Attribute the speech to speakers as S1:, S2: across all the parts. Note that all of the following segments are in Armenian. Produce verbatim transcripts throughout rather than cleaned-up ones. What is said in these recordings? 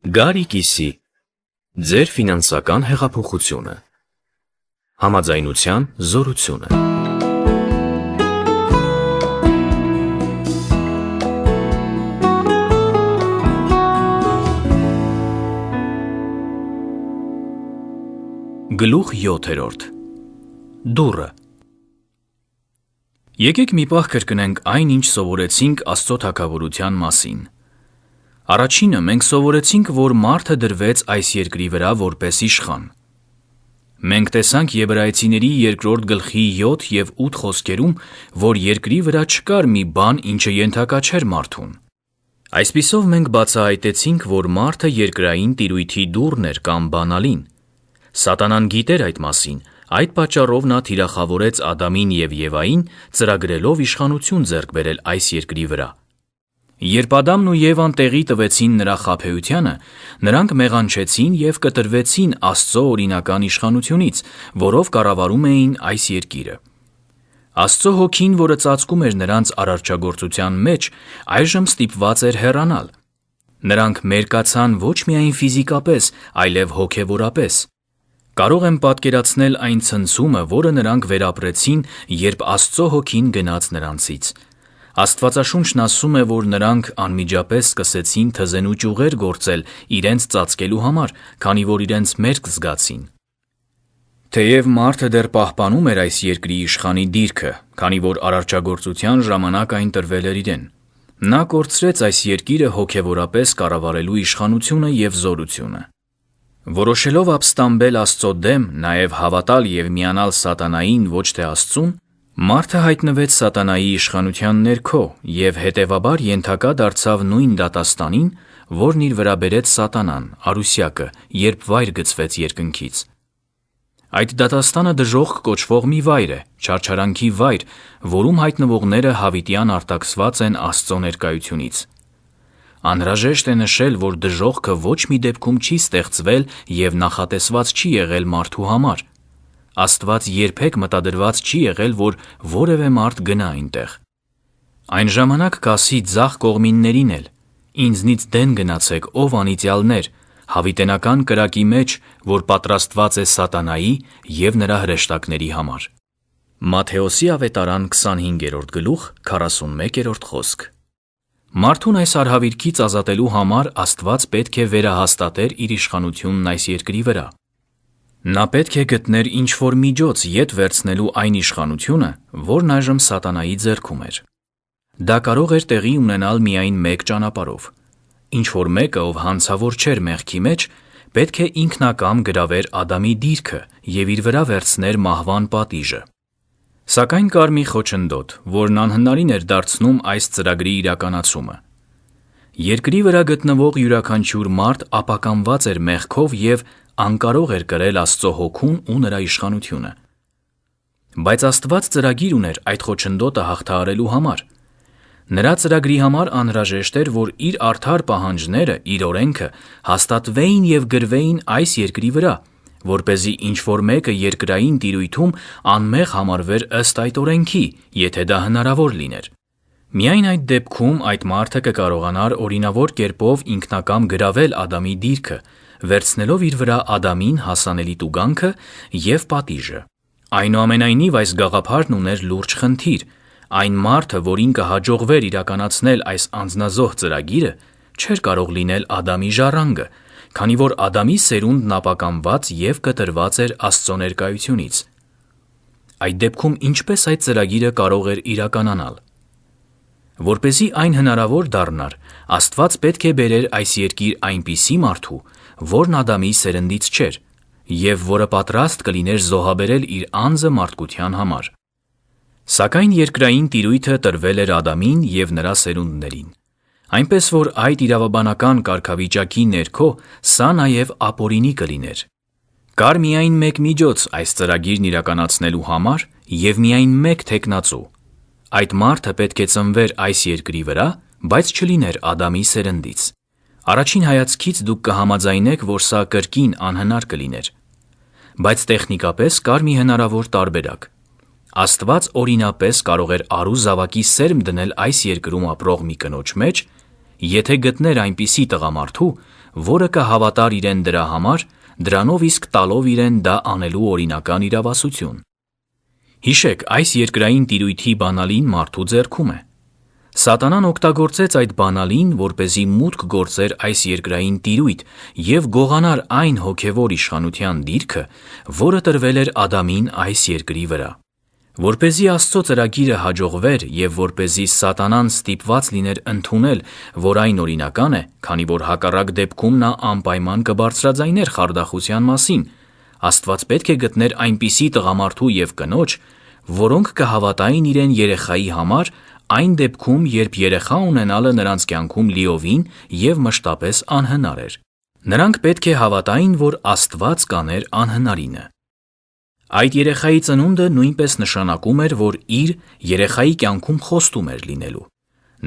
S1: Գարի կիսի, ձեր ֆինանսական հեղափոխությունը, համաձայնության զորությունը։ Գլուխ յոթերորդ. Դուռը։ Եկեք մի պահ կրկնենք այն, ինչ սովորեցինք Աստծո թագավորության մասին։ Առաջինը մենք սովորեցինք, որ մարդը դրվեց այս երկրի վրա որպես իշխան։ Մենք տեսանք Եբրայեցիների երկրորդ գլխի յոթ և ութ խոսքերում, որ երկրի վրա չկար մի բան, ինչը ենթակա չէր մարդուն։ Այսպիսով մենք բացահայտեցինք, որ մարդը երկրային տիրույթի դուռն էր կամ բանալին։ Սատանան գիտեր այդ մասին, այդ պատճառով նա թիրախավորեց Ադամին և Եվային, ծրագրելով իշխանություն ձեռք բերել այս երկրի վրա։ Երբ Ադամն ու Եվան տեղի տվեցին նրա խաբեությանը, նրանք մեղանչեցին և կտրվեցին Աստծո օրինական իշխանությունից, որով կառավարում էին այս երկիրը։ Աստծո հոգին, որը ծածկում էր նրանց արարչագործության մեջ, այժմ ստիպված էր հեռանալ։ Նրանք մերկացան ոչ միայն ֆիզիկապես, այլև հոգևորապես։ Կարող եմ պատկերացնել այն ցնցումը, որը նրանք վերապրեցին, երբ Աստծո հոգին գնաց նրանցից։ Աստվածաշունչն ասում է, որ նրանք անմիջապես սկսեցին թզենու ճյուղեր գործել իրենց ծածկելու համար, քանի որ իրենց մերկ զգացին։ Թեև մարդը դեռ պահպանում էր այս երկրի իշխանի դիրքը, քանի որ արարչագործության ժամանակ այն տրվել էր իրեն, նա կորցրեց այս երկիրը հոգևորապես կառավարելու իշխանությունը և զորությունը։ Որոշելով ապստամբել Աստծո դեմ, նաև հավատալ և միանալ սատանային, ոչ թե Աստծուն, մարդը հայտնվեց սատանայի իշխանության ներքո և հետևաբար ենթակա դարձավ նույն դատաստանին, որն իր վրա բերեց սատանան, արուսյակը, երբ վայր գցվեց երկնքից։ Այդ դատաստանը դժոխք կոչվող մի վայր է, չարչարանքի վայր, որում հայտնվողները հավիտյան արտաքսված են Աստծո ներկայությունից։ Անհրաժեշտ է նշել, որ դժոխքը ոչ մի դեպքում չի ստեղծվել և նախատեսված չի եղել մարդու համար։ Աստված երբեք մտադրված չի եղել, որ որևէ մարդ գնա այնտեղ։ Այն ժամանակ կասի ձախ կողմիններին էլ. «Ինձնից դեն գնացեք, ով անիծյալներ, հավիտենական կրակի մեջ, որ պատրաստված է սատանայի և նրա հրեշտակների համար»։ Մատթեոսի ավետարան քսանհինգերորդ գլուխ քառասունմեկերորդ խոսք։ Մարդուն այս արհավիրքից ազատելու համար Աստված պետք է վերահաստատեր իր իշխանությունն այս երկրի վրա։ Նա պետք է գտներ ինչ-որ միջոց ետ վերցնելու այն իշխանությունը, որն այժմ սատանայի ձեռքում էր։ Դա կարող էր տեղի ունենալ միայն մեկ ճանապարհով։ Ինչ-որ մեկը, ով հանցավոր չէր մեղքի մեջ, պետք է ինքնակամ գրավեր Ադամի դիրքը և իր վրա վերցներ մահվան պատիժը։ Սակայն կար մի խոչընդոտ, որն անհնարին էր դարձնում այս ծրագրի իրականացումը։ Երկրի վրա գտնվող յուրաքանչյուր մարդ ապականված էր մեղքով և անկարող էր կրել Աստծո հոգուն ու նրա իշխանությունը։ Բայց Աստված ծրագիր ուներ այդ խոչընդոտը հաղթահարելու համար։ Նրա ծրագրի համար անհրաժեշտ էր, որ իր արդար պահանջները, իր օրենքը հաստատվեին և գրվեին այս երկրի վրա, որպեսզի ինչ-որ մեկը երկրային տիրույթում անմեղ համարվեր ըստ այդ օրենքի, եթե դա հնարավոր լիներ։ Միայն այդ դեպքում այդ մարդը կկարողանար օրինավոր կերպով ինքնակամ գրավել Ադամի դիրքը, վերցնելով իր վրա Ադամին հասանելի տուգանքը և պատիժը։ Այնուամենայնիվ այս գաղափարն ուներ լուրջ խնդիր։ Այն մարդը, որին կհաջողվեր իրականացնել այս անձնազոհ ծրագիրը, չէր կարող լինել Ադամի ժառանգը, քանի որ Ադամի սերունդն ապականված և կտրված էր Աստծո ներկայությունից։ Այդ դեպքում ինչպե՞ս այդ ծրագիրը կարող էր իրականանալ։ Որպեսզի այն հնարավոր դառնար, Աստված պետք է բերեր այս երկիր այնպիսի մարդու, որն Ադամի սերնդից չէր, և որը պատրաստ կլիներ զոհաբերել իր անձը մարդկության համար։ Սակայն երկրային տիրույթը տրվել էր Ադամին և նրա սերունդներին, այնպես որ այդ իրավաբանական կարգավիճակի ներքո սա նաև ապօրինի կլիներ։ Կար միայն մեկ միջոց այս ծրագիրն իրականացնելու համար և միայն մեկ թեկնածու։ Այդ մարդը պետք է ծնվեր այս երկրի վրա, բայց չլիներ Ադամի սերնդից։ Առաջին հայացքից դուք կհամաձայնեք, որ սա կրկին անհնար կլիներ։ Բայց տեխնիկապես կար մի հնարավոր տարբերակ։ Աստված օրինապես կարող էր առու զավակի սերմ դնել այս երկրում ապրող մի կնոջ մեջ, եթե գտներ այնպիսի տղամարդու, որը կհավատար իրեն դրա համար, դրանով իսկ տալով իրեն դա անելու օրինական իրավասություն։ Հիշեք, այս երկրային տիրույթի բանալին մարդու ձեռքում է։ Սատանան օգտագործեց այդ բանալին, որպեսզի մուտք գործեր այս երկրային տիրույթ և գողանար այն հոգևոր իշխանության դիրքը, որը տրվել էր Ադամին այս երկրի վրա։ Որպեսզի Աստծո ծրագիրը հաջողվեր և որպեսզի Սատանան ստիպված լիներ ընդունել, որ այն օրինական է, քանի որ հակառակ դեպքում նա անպայման կբարձրաձայներ խարդախության մասին, Աստված պետք է գտներ այնպիսի տղամարդու և կնոջ, որոնք կհավատային իրեն երեխայի համար այն դեպքում, երբ երեխա ունենալը նրանց կյանքում լիովին և մշտապես անհնար էր։ Նրանք պետք է հավատային, որ Աստված կաներ անհնարինը։ Այդ երեխայի ծնունդը նույնպես նշանակում էր, որ իր երեխայի կյանքում խոստում էր լինելու։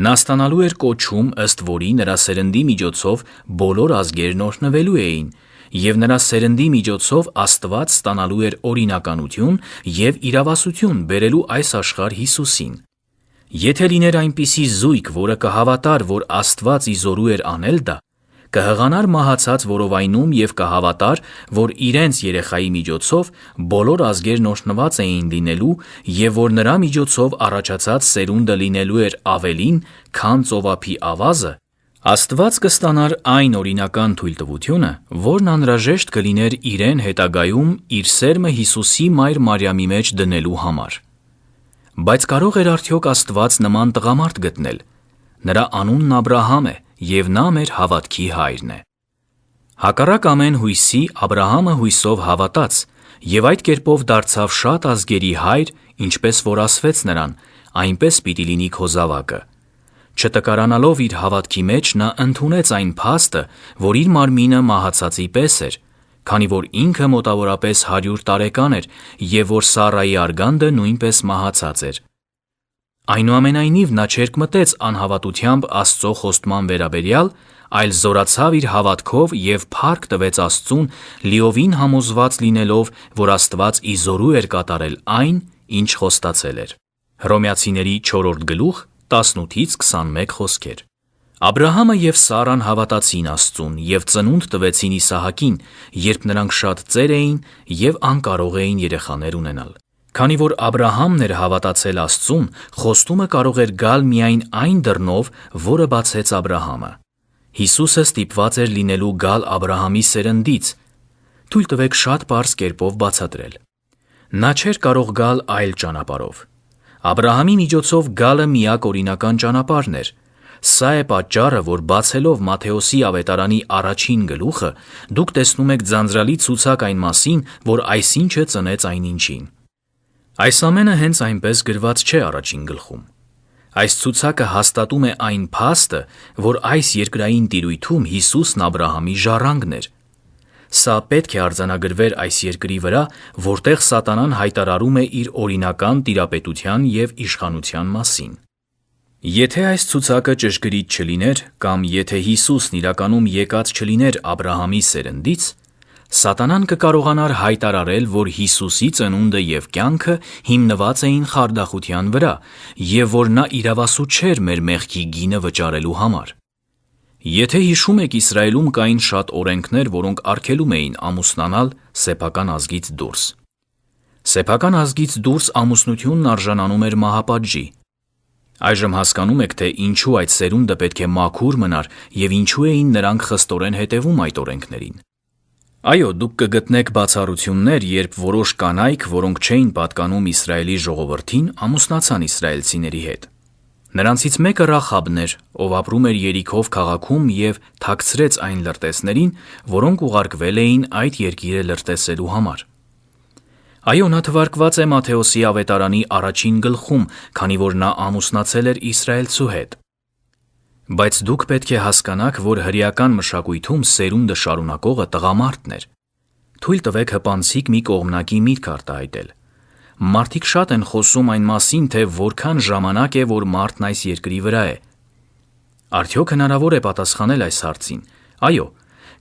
S1: Նա ստանալու էր կոչում, ըստ որի նրա սերնդի միջոցով բոլոր ազգերն օրհնվելու էին, և նրա սերնդի միջոցով Աստված ստանալու էր օրինականություն և իրավասություն բերելու այս աշխարհ Հիսուսին։ Եթե լիներ այնպիսի զույգ, որը կհավատար, որ Աստված ի զորու էր անել դա, կհղանար մահացած որովայնում և կհավատար, որ իրենց երեխայի միջոցով բոլոր ազգերն օրհնված էին լինելու և որ նրա միջոցով առաջացած սերունդը լինելու էր ավելին, քան ծովափի ավազը, Աստված կստանար այն օրինական թույլտվությունը, որն անհրաժեշտ կլիներ իրեն հետագայում իր սերմը Հիսուսի մայր Մարիամի մեջ դնելու համար։ Բայց կարող էր արդյոք Աստված նման տղամարդ գտնել։ Նրա անունն Աբրահամ է, և նա մեր հավատքի հայրն է։ Հակառակ ամեն հույսի Աբրահամը հույսով հավատաց, և այդ կերպով դարձավ շատ ազգերի հայր, ինչպես որ ասվեց նրան, այնպես պիտի լինի քո զավակը։ Չտկարանալով իր հավատքի մեջ նա ընդունեց այն փաստը, որ իր մարմինը մահացածի պես էր, քանի որ ինքը մոտավորապես հարյուր տարեկան էր և որ Սառայի արգանդը նույնպես մահացած էր։ Այնուամենայնիվ նա չերկմտեց անհավատությամբ Աստծո խոստման վերաբերյալ, այլ զորացավ իր հավատքով և փառք տվեց Աստծուն, լիովին համոզված լինելով, որ Աստված ի զորու էր կատարել այն, ինչ խոստացել էր։ Հռոմեացիների չորրորդ գլուխ տասնութից քսանմեկ խոսքեր։ Աբրահամը և Սառան հավատացին Աստծուն և ծնունդ տվեցին Իսահակին, երբ նրանք շատ ծեր էին և անկարող էին երեխաներ ունենալ։ Քանի որ Աբրահամն էր հավատացել Աստծուն, խոստումը կարող էր գալ միայն այն դռնով, որը բացեց Աբրահամը։ Հիսուսը ստիպված էր լինելու գալ Աբրահամի սերնդից։ Թույլ տվեք շատ պարզ կերպով բացատրել։ Նա չէր կարող գալ այլ ճանապարհով։ Աբրահամի միջոցով գալը միակ օրինական ճանապարհն էր։ Սա է պատճառը, որ բացելով Մատթեոսի ավետարանի առաջին գլուխը, դուք տեսնում եք ձանձրալի ցուցակ այն մասին, որ այսինչը ծնեց այնինչին։ Այս ամենը հենց այնպես գրված չէ առաջին գլխում։ Այս ցուցակը հաստատում է այն փաստը, որ այս երկրային տիրույթում Հիսուսն Աբրահամի ժառանգն էր։ Սա պետք է արձանագրվեր այս երկրի վրա, որտեղ Սատանան հայտարարում է իր օրինական տիրապետության և իշխանության մասին։ Եթե այս ցուցակը ճշգրիտ չլիներ, կամ եթե Հիսուսն իրականում եկած չլիներ Աբրահամի սերնդից, Սատանան կկարողանար հայտարարել, որ Հիսուսի ծնունդը և կյանքը հիմնված էին խարդախության վրա, և որ նա իրավասու չէր մեր մեղքի գինը վճարելու համար։ Եթե հիշում եք, Իսրայելում կային շատ օրենքներ, որոնք արգելում էին ամուսնանալ սեփական ազգից դուրս։ Սեփական ազգից դուրս ամուսնությունն արժանանում էր մահապատժի։ Այժմ հասկանում եք, թե ինչու այդ սերունդը պետք է մաքուր մնար և ինչու էին նրանք խստորեն հետևում այդ օրենքներին։ Այո, դուք կգտնեք բացառություններ, երբ որոշ կանայք, որոնք չէին պատկանում Իսրայելի ժողովրդին, ամուսնացան իսրայելցիների հետ։ Նրանցից մեկը Ռախաբն էր, ով ապրում էր Երիքով քաղաքում և թաքցրեց այն լրտեսներին, որոնք ուղարկվել էին այդ երկիրը լրտեսելու համար։ Այո, նա թվարկված է Մատթեոսի ավետարանի առաջին գլխում, քանի որ նա ամուսնացել էր իսրայելցու հետ։ Բայց դուք պետք է հասկանաք, որ հրեական մշակույթում սերունդը շարունակողը տղամարդն էր։ Թույլ տվեք հպանցիկ մի կողմնակի միտք արտահայտել։ Մարդիկ շատ են խոսում այն մասին, թե որքան ժամանակ է, որ մարդն այս երկրի վրա է։ Արդյոք հնարավոր է պատասխանել այս հարցին։ Այո,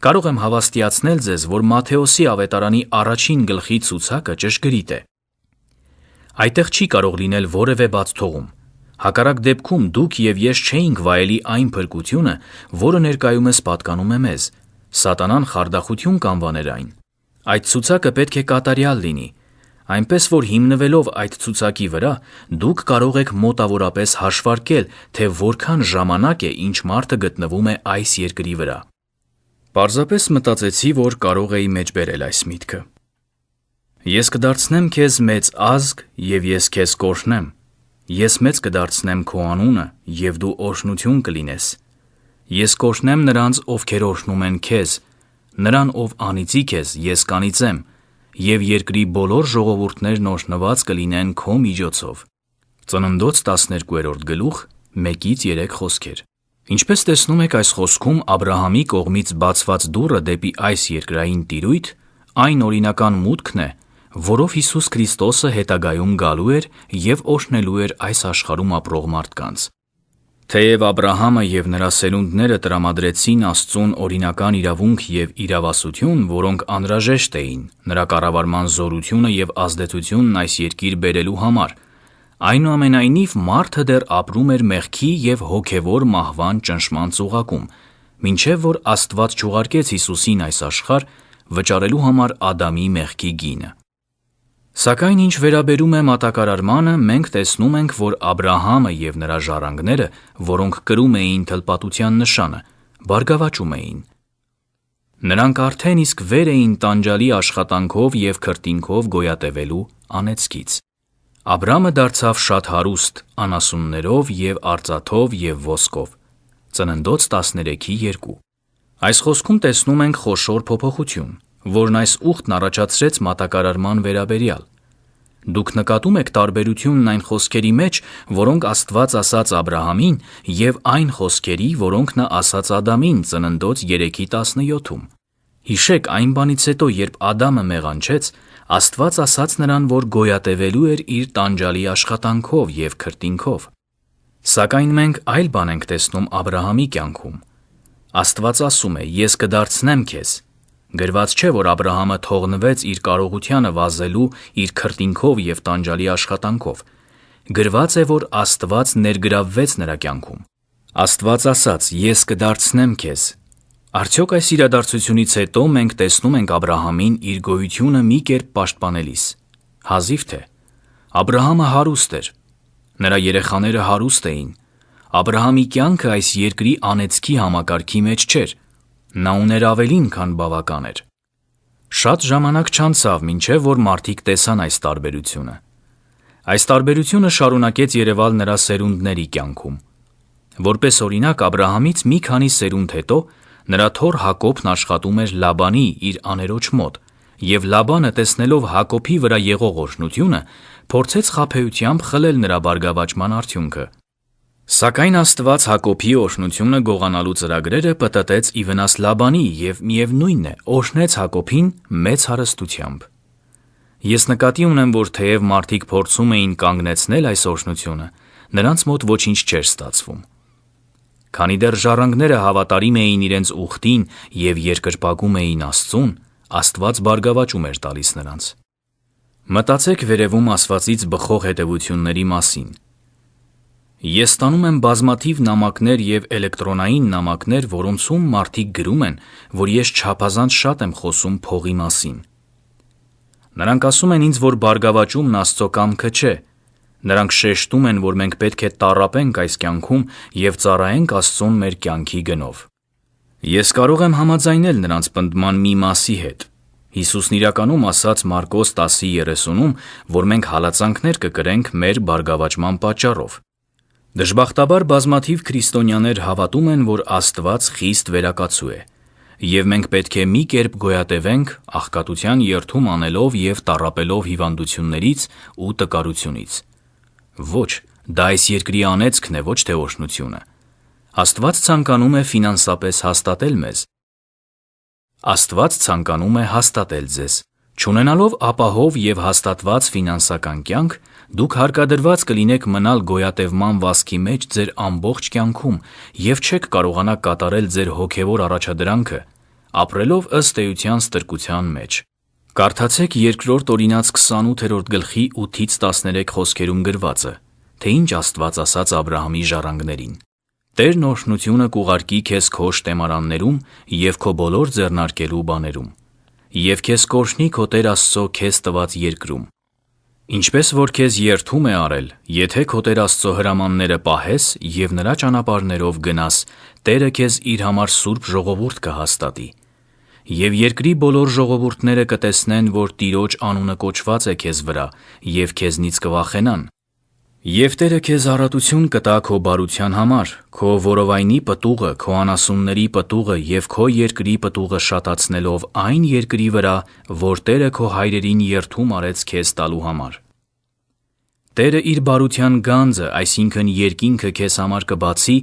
S1: կարող եմ հավաստիացնել ձեզ, որ Մատթեոսի ավետարանի առաջին գլխի ցուցակը ճշգրիտ է։ Այդտեղ չի կարող լինել որևէ բաց թողում։ Հակառակ դեպքում դուք և ես չէինք վայելի այն փրկությունը, որը ներկայումս պատկանում է մեզ, Սատանան խարդախություն կանվաներ այն։ Այդ ցուցակը պետք է կատարյալ լինի, այնպես որ հիմնվելով այդ ցուցակի վրա դուք կարող եք մոտավորապես հաշվարկել, թե որքան ժամանակ է ինչ մարդը գտնվում է այս երկրի վրա։ Պարզապես մտածեցի, որ կարող էի մեջբերել այս միտքը։ Ես կդարձնեմ քեզ մեծ ազգ և ես քեզ կօրհնեմ, ես մեծ կդարձնեմ քո անունը և դու օրհնություն կլինես։ Ես կօրհնեմ նրանց, ովքեր օրհնում են քեզ, նրան, ով անիծի քեզ, ես կանիծեմ, և երկրի բոլոր ժողովուրդներն օրհնված կլինեն քո միջոցով։ Ծննդոց տասներկուերորդ գլուխ մեկից երեք խոսքեր։ Ինչպես տեսնում եք այս խոսքում Աբրահամի կողմից բացված դուռը դեպի այս երկրային տիրույթ այն օրինական մուտքն է, որով Հիսուս Քրիստոսը հետագայում գալու էր և օրհնելու էր այս աշխարհում ապրող մարդկանց։ Թեև Աբրահամը և նրա սերունդները տրամադրեցին Աստծուն օրինական իրավունք և իրավասություն, որոնք անհրաժեշտ էին նրա կառավարման զորությունը և ազդեցությունն այս երկիր բերելու համար, այնուամենայնիվ մարդը դեռ ապրում էր մեղքի և հոգևոր մահվան ճնշման ծուղակում, մինչև որ Աստված չուղարկեց Հիսուսին այս աշխարհ վճարելու համար Ադամի մեղքի գինը։ Սակայն ինչ վերաբերում է մատակարարմանը, մենք տեսնում ենք, որ Աբրահամը և նրա ժառանգները, որոնք կրում էին թլպատության նշանը, բարգավաճում էին։ Նրանք արդեն իսկ վեր էին տանջալի աշխատանքով և քրտինքով գոյատևելու անեծքից։ Աբրամը դարձավ շատ հարուստ անասուններով և արծաթով և ոսկով։ Ծննդոց տասներեքի երկու։ Այս խոսքում տեսնում ենք խոշոր փոփոխություն, որն այս ուխտն առաջացրեց մատակարարման վերաբերյալ։ Դուք նկատում եք տարբերությունն այն խոսքերի մեջ, որոնք Աստված ասաց Աբրահամին, և այն խոսքերի, որոնք նա ասաց Ադամին Ծննդոց երեքի տասնյոթում։ Հիշեք, այն բանից հետո, երբ Ադամը մեղանչեց, Աստված ասաց նրան, որ գոյատևելու էր իր տանջալի աշխատանքով և քրտինքով։ Սակայն մենք այլ բան ենք տեսնում Աբրահամի կյանքում։ Աստված ասում է. «Ես կդարձնեմ քեզ»։ Գրված չէ, որ Աբրահամը թողնվեց իր կարողությանը վազելու իր քրտինքով և տանջալի աշխատանքով։ Գրված է, որ Աստված ներգրավվեց նրա կյանքում։ Աստված ասաց. «Ես կդարձնեմ քեզ»։ Արդյոք այս իրադարձությունից հետո մենք տեսնում ենք Աբրահամին իր գոյությունը մի կերպ պաշտպանելիս։ Հազիվ թե։ Աբրահամը հարուստ էր։ Նրա երեխաները հարուստ էին։ Աբրահամի կյանքը այս երկրի անեծքի համակարգի մեջ չէր։ Նա ուներ ավելին, քան բավական էր։ Շատ ժամանակ չանցավ, մինչև որ մարդիկ տեսան այս տարբերությունը։ Այս տարբերությունը շարունակեց երևալ նրա սերունդների կյանքում։ Որպես օրինակ, Աբրահամից մի քանի սերունդ հետո նրա թոռ Հակոբն աշխատում էր Լաբանի իր աներոջ մոտ, և Լաբանը, տեսնելով Հակոբի վրա եղող օրհնությունը, փորձեց խաբեությամբ խլել նրա բարգավաճման արդյունքը։ Սակայն Աստված Հակոբի օրհնությունը գողանալու ծրագրերը պտտեց ի վնաս Լաբանի և միևնույն է, օրհնեց Հակոբին մեծ հարստությամբ։ Ես նկատի ունեմ, որ թեև մարդիկ փորձում էին կանգնեցնել այս օրհնությունը, նրանց մոտ ոչինչ չէր ստացվում։ Քանի դեռ ժառանգները հավատարիմ էին իրենց ուխտին և երկրպագում էին Աստծուն, Աստված բարգավաճում էր տալիս նրանց։ Մտածեք վերևում ասվածից բխող հետևությունների մասին։ Ես ստանում եմ բազմաթիվ նամակներ և էլեկտրոնային նամակներ, որոնցում մարդիկ գրում են, որ ես չափազանց շատ եմ խոսում փողի մասին։ Նրանք ասում են ինձ, որ բարգավաճումն Աստծո կամքը չէ։ Նրանք շեշտում են, որ մենք պետք է տառապենք այս կյանքում և ծառայենք Աստծուն մեր կյանքի գնով։ Ես կարող եմ համաձայնել նրանց պնդման մի մասի հետ։ Հիսուսն իրականում ասաց Մարկոս տասի երեսունում, որ մենք հալածանքներ կկրենք մեր բարգավաճման պատճառով։ Դժբախտաբար բազմաթիվ քրիստոնյաներ հավատում են, որ Աստված խիստ վերակացու է, և մենք պետք է մի կերպ գոյատևենք աղքատության երդում անելով և տառապելով հիվանդություններից ու տկարությունից։ Ոչ, դա այս երկրի անեծքն է, ոչ թե օրհնությունը։ Աստված ցանկանում է ֆինանսապես հաստատել մեզ։ Աստված ցանկանում է հաստատել ձեզ։ Չունենալով ապահով և հաստատված ֆինանսական կյանք, դուք հարկադրված կլինեք մնալ գոյատևման վազքի մեջ ձեր ամբողջ կյանքում և չեք կարողանա կատարել ձեր հոգևոր առաջադրանքը, ապրելով ըստ էության ստրկության մեջ։ Կարդացեք Երկրորդ Օրինաց քսանութերորդ գլխի ութից տասներեք խոսքերում գրվածը, թե ինչ Աստված ասաց Աբրահամի ժառանգներին։ Տերն օրհնությունը կուղարկի քեզ քո շտեմարաններում և քո բոլոր ձեռնարկելու բաներում, և քեզ կօրհնի քո Տեր Աստծո քեզ տված երկրում։ Ինչպես որ քեզ երդում է արել, եթե քո Տեր Աստծո հրամանները պահես և նրա ճանապարհներով գնաս, Տերը քեզ իր համար սուրբ ժողովուրդ կհաստատի։ Եվ երկրի բոլոր ժողովուրդները կտեսնեն, որ Տիրոջ անունը կոչված է քեզ վրա, և քեզնից կվախենան։ Եվ Տերը քեզ առատություն կտա քո բարության համար, քո որովայնի պտուղը, քո անասունների պտուղը և քո երկրի պտուղը շատացնելով այն երկրի վրա, որ Տերը քո հայրերին երդում արեց քեզ տալու համար։ Տերը իր բարության գանձը, այսինքն երկինքը քեզ համար կբացի,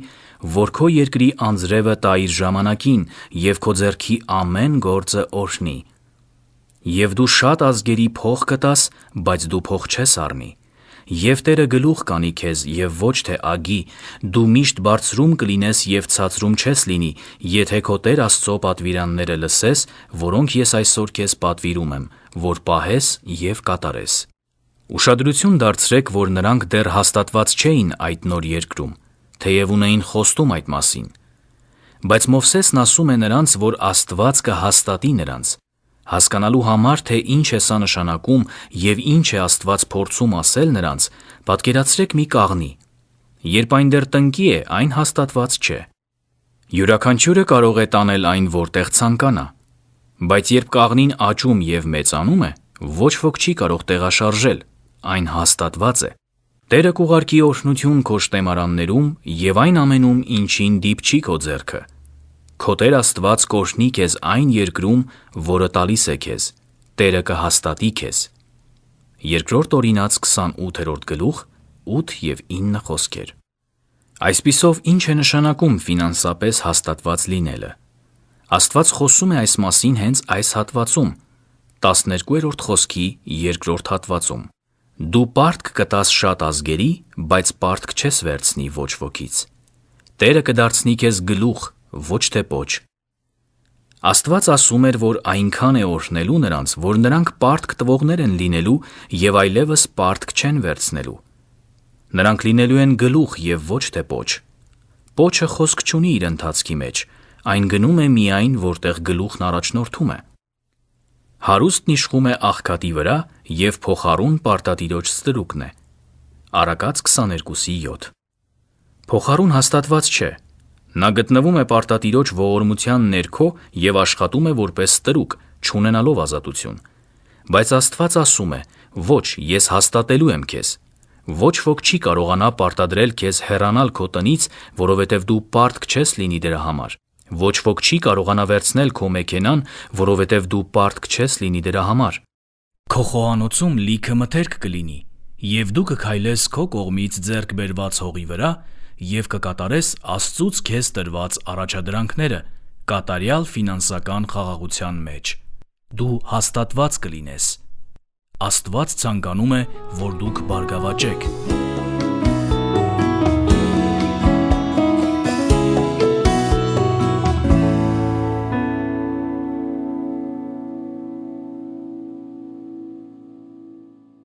S1: որ քո երկրի անձրևը տա իր ժամանակին, և քո ձեռքի ամեն գործը օրհնի։ Եվ դու շատ ազգերի փող կտաս, բայց դու փող չես առնի։ Եվ Տերը գլուխ կանի քեզ, և ոչ թե ագի, դու միշտ բարձրում կլինես և ցածրում չես լինի, եթե քո Տեր Աստծո պատվիրանները լսես, որոնք ես այսօր քեզ պատվիրում եմ, որ պահես և կատարես։ Ուշադրություն դարձրեք, որ նրանք դեռ հաստատված չէին այդ նոր երկրում, թեև ունեին խոստում այդ մասին։ Բայց Մովսեսն ասում է նրանց, որ Աստված կհաստատի նրանց։ Հասկանալու համար, թե ինչ է սա նշանակում և ինչ է Աստված փորձում ասել նրանց, պատկերացրեք մի կաղնի։ Երբ այն դեռ տնկի է, այն հաստատված չէ։ Յուրաքանչյուրը կարող է տանել այն որտեղ ցանկանա։ Բայց երբ կաղնին աճում և մեծանում է, ոչ ոք չի կարող տեղաշարժել, այն հաստատված է։ Տերը կուղարկի օրհնություն քո շտեմարաններում և այն ամենում, ինչին դիպչի քո ձեռքը։ Քո Տեր Աստված կօրհնի քեզ այն երկրում, որը տալիս է քեզ, Տերը կհաստատի քեզ։ Երկրորդ Օրինաց քսանութերորդ գլուխ ութ և ինը խոսքեր։ Այսպիսով ինչ է նշանակում ֆինանսապես հաստատված լինելը։ Աստված խոսում է այս մասին հենց այս հատվածում, տասներկուերորդ խոսքի երկրորդ հատվածում։ Դու պարտք կտաս շատ ազգերի, բայց պարտք չես վերցնի ոչ wokից։ Տերը կդարձնի քեզ գլուխ, ոչ թե պոչ։ Աստված ասում էր, որ այնքան է օրհնելու նրանց, որ նրանք պարտք տվողներ են լինելու և այլևս պարտք չեն վերցնելու։ Նրանք լինելու են գլուխ և ոչ թե պոչ։ Պոչը խոսք չունի իր ընթացքի մեջ, այն գնում է միայն, որտեղ գլուխն առաջնորդում է։ Հարուստն իշխում է աղքատի վրա, և փոխառուն պարտատիրոջ ստրուկն է։ Առակաց քսաներկուսի յոթ։ Փոխառուն հաստատված չէ։ Նա գտնվում է պարտատիրոջ ողորմության ներքո և աշխատում է որպես ստրուկ, չունենալով ազատություն։ Բայց Աստված ասում է. «Ոչ, ես հաստատելու եմ քեզ»։ Ոչ ոք չի կարողանա պարտադրել քեզ հեռանալ քո տնից, որովհետև դու պարտք չես լինի դրա համար։ Ոչ ոք չի կարողանա վերցնել քո մեքենան, որովհետև դու պարտք չես լինի դրա համար։ Քո խոհանոցում լիքը մթերք կլինի, և դու կքայլես քո կողմից ձեռք բերված հողի վրա և կկատարես Աստծուց քեզ տրված առաջադրանքները կատարյալ ֆինանսական խաղաղության մեջ։ Դու հաստատված կլինես։ Աստված ցանկանում է, որ դուք բարգավաճեք։